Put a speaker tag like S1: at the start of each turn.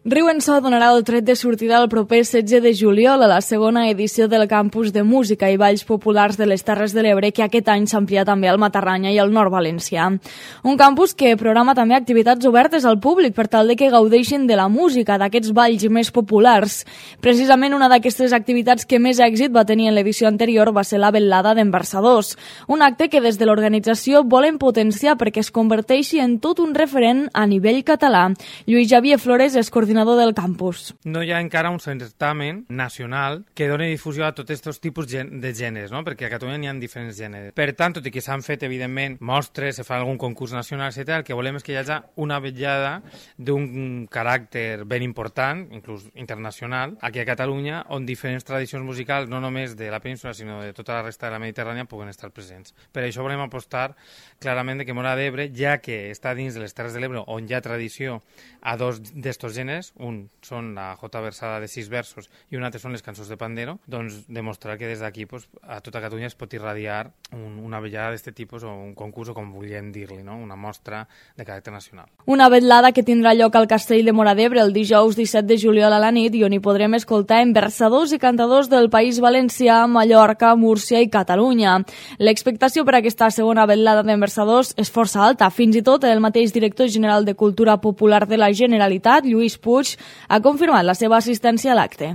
S1: Riu en So donarà el tret de sortida el proper 16 de juliol a la segona edició del Campus de Música i Balls Populars de les Terres de l'Ebre, que aquest any s'amplia també al Matarranya i al Nord Valencià. Un campus que programa també activitats obertes al públic per tal de que gaudeixin de la música, d'aquests balls més populars. Precisament una d'aquestes activitats que més èxit va tenir en l'edició anterior va ser la vetllada d'Enversadors, un acte que des de l'organització volen potenciar perquè es converteixi en tot un referent a nivell català. Lluís Javier Flores és coordinador del campus.
S2: No hi ha encara un certamen nacional que doni difusió a tots aquests tipus de gèneres, no? Perquè a Catalunya n'hi ha diferents gèneres. Per tant, tot i que s'han fet, evidentment, mostres, se fa algun concurs nacional, etc., el que volem és que hi hagi una vetllada d'un caràcter ben important, inclús internacional, aquí a Catalunya, on diferents tradicions musicals, no només de la península, sinó de tota la resta de la Mediterrània, puguen estar presents. Per això volem apostar clarament que Móra d'Ebre, ja que està dins de les Terres de l'Ebre, on hi ha tradició a dos d'estos gèneres, un són la jota versada de 6 versos i un altre són les cançons de pandero, doncs demostrar que des d'aquí a tota Catalunya es pot irradiar una vetllada d'aquest tipus o un concurs o com volíem dir-li, no? Una mostra de caràcter nacional.
S1: Una vetllada que tindrà lloc al Castell de Móra d'Ebre el dijous 17 de juliol a la nit i on hi podrem escoltar versadors i cantadors del País Valencià, Mallorca, Múrcia i Catalunya. L'expectació per a aquesta segona vetllada d'enversadors és força alta. Fins i tot el mateix director general de Cultura Popular de la Generalitat, Lluís Puig, ha confirmat la seva assistència a l'acte.